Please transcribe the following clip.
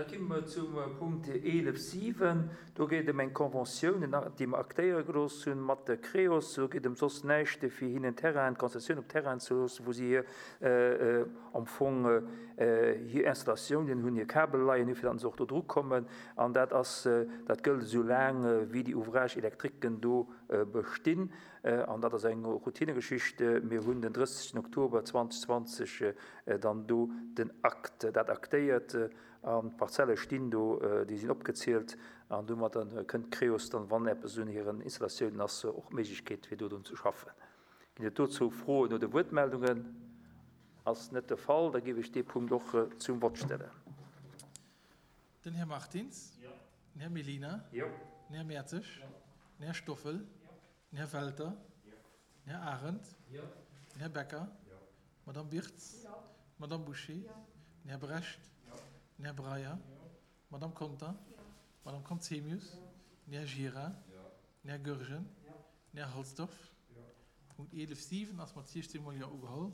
Da gi mer zum Punkt 11, 7. Do geet et ëm eng Conventioun, déi mer aktéiere gelooss hunn mat der Creos. Do geet ëm soss näischt, fir hinnen Terrainen, d'Konzessioun op Terrainen ze loossen, wou si hir am Fong hir Installatiounen hunn, hir Kabel leien hunn, fir datt se och do drukommen. An dat ass, dat gëllt esou laang wéi déi Ouvrages électriquen do bestinn. An dat ass eng Routinegeschicht. Mir hunn den 30 Oktober 2020 dann do den Akt, dat aktéiert an d'Parzelle stinn do, déi sinn opgezielt an domadder kënnt d'Creos dann, wann eppes un hiren Installatiounen ass, och d'Méiglechkeet fir do drun ze schaffen. Ginn et dozou Froen oder Wuertmeldungen? Ass net de Fall, da géif ech dee Punkt och zum Vott stellen. Den Här Martins. Den Här Mellina. Den Här Mertzig. Den Här Stoffel. Den Här Welter. Den Här Arendt. Den Här Becker. D'Madame Birtz. D'Madame Bouché. Den Här Brecht. Den Här Breyer. D'Madame Conter. D'Madame Conzemius. Den Här Gira. Den Här Goergen. Den Här Halsdorf. Punkt 11, 7 ass mat 16 mol Jo ugeholl.